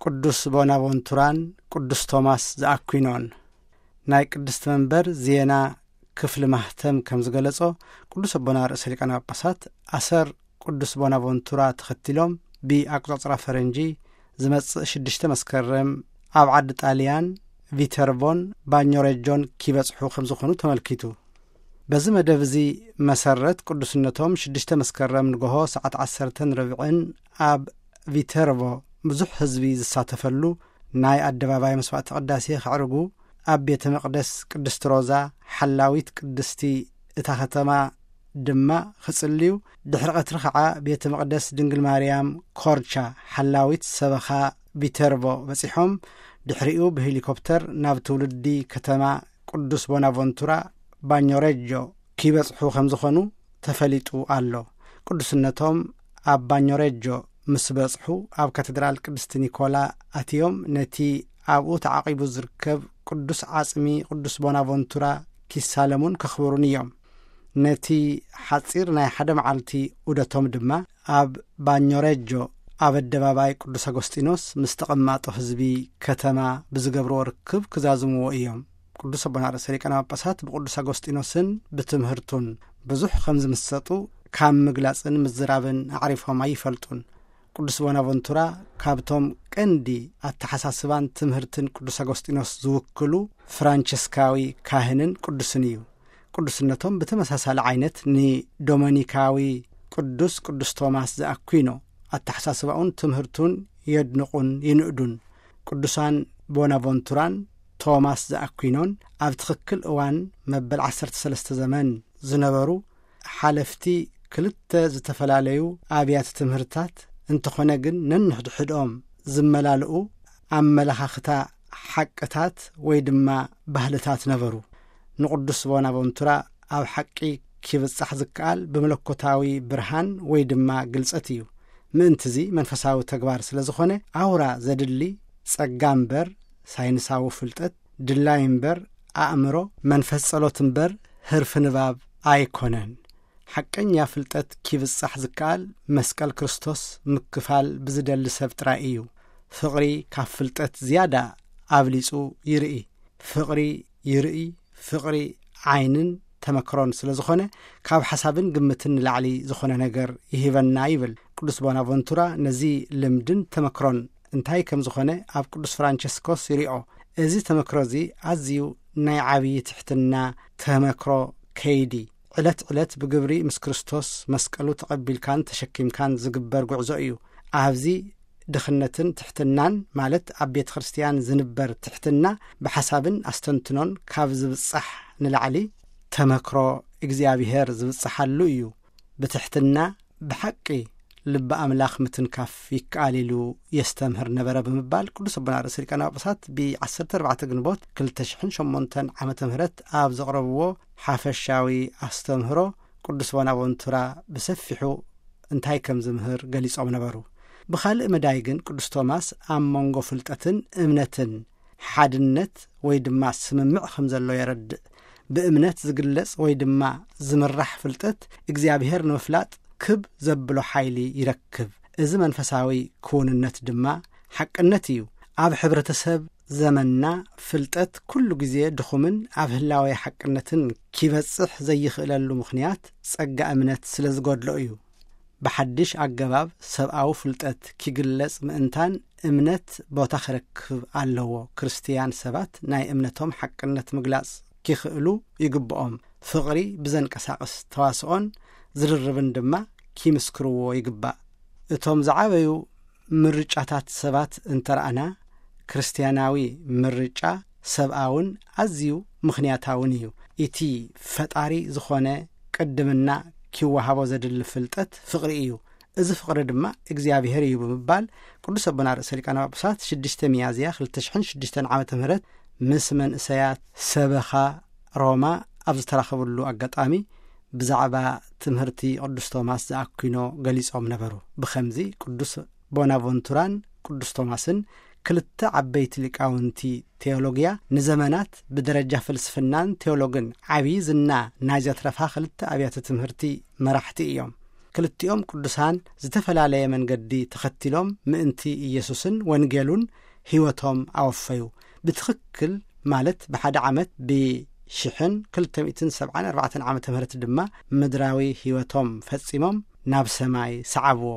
ቅዱስ ቦናቮንቱራን ቅዱስ ቶማስ ዘኣኩኖን። ናይ ቅድስቲ መንበር ዜና ክፍሊ ማህተም ከም ዝገለጾ፣ ቅዱስ ኣቦና ርእሰ ሊቃነ ጳጳሳት ኣሰር ቅዱስ ቦናቮንቱራ ተኸቲሎም ብኣቆጻጽራ ፈረንጂ ዝመጽእ ሽዱሽተ መስከረም ኣብ ዓዲ ጣልያን ቪተርቮን ባኞሬጆን ኪበጽሑ ከም ዝኾኑ ተመልኪቱ። በዚ መደብ እዚ መሰረት ቅዱስነቶም ሽዱሽተ መስከረም ንግሆ ሰዓት ዓሰርተን ርብዕን ኣብ ቪተርቮ ብዙሕ ህዝቢ ዝሳተፈሉ ናይ ኣደባባይ መስዋዕተ ቅዳሴ ከዕርጉ፣ ኣብ ቤተ መቕደስ ቅድስቲ ሮዛ ሓላዊት ቅድስቲ እታ ከተማ ድማ ክጽልዩ፣ ድሕሪ ቀትሪ ኸዓ ቤተ መቕደስ ድንግል ማርያም ኮርቻ ሓላዊት ሰበኻ ቪተርቮ በጺሖም፣ ድሕሪኡ ብሄሊኮፕተር ናብ ትውልዲ ከተማ ቅዱስ ቦናቮንቱራ ባኞሬጆ ኪበጽሑ ከም ዝኾኑ ተፈሊጡ ኣሎ። ቅዱስነቶም ኣብ ባኞሬጆ ምስ በጽሑ፣ ኣብ ካቴድራል ቅድስቲ ኒኮላ ኣትዮም ነቲ ኣብኡ ተዓቂቡ ዝርከብ ቅዱስ ዓጽሚ ቅዱስ ቦናቮንቱራ ኪሳለሙን ከኽብሩን እዮም። ነቲ ሓጺር ናይ ሓደ መዓልቲ ዑደቶም ድማ ኣብ ባኞሬጆ ኣብ ኣደባባይ ቅዱስ ኣጎስጢኖስ ምስ ተቐማጦ ህዝቢ ከተማ ብዝገብርዎ ርክብ ክዛዝምዎ እዮም። ቅዱስ ኣቦና ርእሰ ሊቃነ ጳጳሳት ብቅዱስ ኣጎስጢኖስን ብትምህርቱን ብዙሕ ከም ዝምሰጡ ካብ ምግላጽን ምዝራብን ኣዕሪፎም ኣይፈልጡን። ቅዱስ ቦናቨንቱራ ካብቶም ቀንዲ ኣተሓሳስባን ትምህርትን ቅዱስ ኣጎስጢኖስ ዝውክሉ ፍራንቸስካዊ ካህንን ቅዱስን እዩ። ቅዱስነቶም ብተመሳሳሊ ዓይነት ንዶመኒካዊ ቅዱስ ቅዱስ ቶማስ ዘኣኩኖ ኣተሓሳስባኡን ትምህርቱን የድንቑን ይንእዱን። ቅዱሳን ቦናቨንቱራን ቶማስ ዘኣኩኖን ኣብ ትኽክል እዋን መበል ዓሰርተ ሰለስተ ዘመን ዝነበሩ ሓለፍቲ ክልተ ዝተፈላለዩ ኣብያተ ትምህርታት እንተኾነ ግን ነንሕድሕድኦም ዝመላልኡ ኣመለኻኽታ ሓቅታት ወይ ድማ ባህልታት ነበሩ። ንቅዱስ ቦናቨንቱራ ኣብ ሓቂ ኪብጻሕ ዝከኣል ብመለኮታዊ ብርሃን ወይ ድማ ግልጸት እዩ። ምእንትዚ መንፈሳዊ ተግባር ስለ ዝኾነ ኣውራ ዘድሊ ጸጋ እምበር ሳይንሳዊ ፍልጠት፣ ድላይ እምበር ኣእምሮ፣ መንፈስ ጸሎት እምበር ህርፊ ንባብ ኣይኮነን። ሓቀኛ ፍልጠት ኪብጻሕ ዝከኣል መስቀል ክርስቶስ ምክፋል ብዝደሊ ሰብ ጥራይ እዩ። ፍቕሪ ካብ ፍልጠት ዝያዳ ኣብሊጹ ይርኢ። ፍቕሪ ይርኢ፣ ፍቕሪ ዓይንን ተመክሮን ስለ ዝኾነ ካብ ሓሳብን ግምትን ንላዕሊ ዝኾነ ነገር ይህበና ይብል። ቅዱስ ቦናቨንቱራ ነዚ ልምድን ተመክሮን እንታይ ከም ዝኾነ ኣብ ቅዱስ ፍራንቸስኮስ ይሪኦ። እዚ ተመክሮ እዚ ኣዝዩ ናይ ዓብዪ ትሕትና ተመክሮ ከይዲ ዕለት ዕለት ብግብሪ ምስ ክርስቶስ መስቀሉ ተቐቢልካን ተሸኪምካን ዝግበር ጉዕዞ እዩ። ኣብዚ ድኽነትን ትሕትናን ማለት ኣብ ቤተ ክርስቲያን ዝንበር ትሕትና ብሓሳብን ኣስተንትኖን ካብ ዝብጻሕ ንላዕሊ ተመክሮ እግዚኣብሔር ዝብጻሓሉ እዩ። ብትሕትና ብሓቂ ልቢ ኣምላኽ ምትንካፍ ይከኣል ኢሉ የስተምህር ነበረ ብምባል ቅዱስ ኣቦና ርእሰ ሊቃነ ጳጳሳት ብ ዓሰርተ ኣርባዕተ ግንቦት ክልተ ሽሕን ሸሞንተን ዓመተ ምህረት ኣብ ዘቕረብዎ ሓፈሻዊ ኣስተምህሮ ቅዱስ ቦናቨንቱራ ብሰፊሑ እንታይ ከም ዝምህር ገሊጾም ነበሩ። ብኻልእ መዳይ ግን ቅዱስ ቶማስ ኣብ መንጎ ፍልጠትን እምነትን ሓድነት ወይ ድማ ስምምዕ ከም ዘሎ የረድእ። ብእምነት ዝግለጽ ወይ ድማ ዝምራሕ ፍልጠት እግዚኣብሔር ንምፍላጥ ክብ ዘብሎ ሓይሊ ይረክብ። እዚ መንፈሳዊ ክውንነት ድማ ሓቅነት እዩ። ኣብ ሕብረተሰብ ዘመንና ፍልጠት ኩሉ ግዜ ድኹምን ኣብ ህላዌ ሓቅነትን ኪበጽሕ ዘይኽእለሉ ምኽንያት ጸጋ እምነት ስለ ዝጎድሎ እዩ። ብሓድሽ ኣገባብ ሰብኣዊ ፍልጠት ኪግለጽ ምእንታን እምነት ቦታ ክረክብ ኣለዎ። ክርስትያን ሰባት ናይ እምነቶም ሓቅነት ምግላጽ ኪኽእሉ ይግብኦም። ፍቕሪ ብዘንቀሳቕስ ተዋስኦን ዝርርብን ድማ ኪምስክርዎ ይግባእ። እቶም ዝዓበዩ ምርጫታት ሰባት እንተረኣና፣ ክርስትያናዊ ምርጫ ሰብኣውን ኣዝዩ ምኽንያታውን እዩ። እቲ ፈጣሪ ዝኾነ ቅድምና ኪወሃቦ ዘድሊ ፍልጠት ፍቕሪ እዩ። እዚ ፍቕሪ ድማ እግዚኣብሔር እዩ ብምባል ቅዱስ ኣቦና ርእሰ ሊቃነ ጳጳሳት ሽዱሽተ ሚያዝያ ክልተ ሽሕን ሽዱሽተን ዓመተ ምህረት ምስ መንእሰያት ሰበኻ ሮማ ኣብ ዝተራኸብሉ ኣጋጣሚ ብዛዕባ ትምህርቲ ቅዱስ ቶማስ ዘኣኩኖ ገሊጾም ነበሩ። ብኸምዚ ቅዱስ ቦናቨንቱራን ቅዱስ ቶማስን ክልተ ዓበይቲ ሊቃውንቲ ቴዎሎጊያ ንዘመናት ብደረጃ ፍልስፍናን ቴዎሎግን ዓብዪ ዝና ናይ ዘትረፋ ክልተ ኣብያተ ትምህርቲ መራሕቲ እዮም። ክልቲኦም ቅዱሳን ዝተፈላለየ መንገዲ ተኸቲሎም ምእንቲ ኢየሱስን ወንጌሉን ሕይወቶም ኣወፈዩ። ብትኽክል ማለት ብሓደ ዓመት ብሽሕን ክልተ ሚእትን ሰብዓን ኣርባዕተን ዓመተ ምህረት ድማ ምድራዊ ሕይወቶም ፈጺሞም ናብ ሰማይ ሰዓብዎ።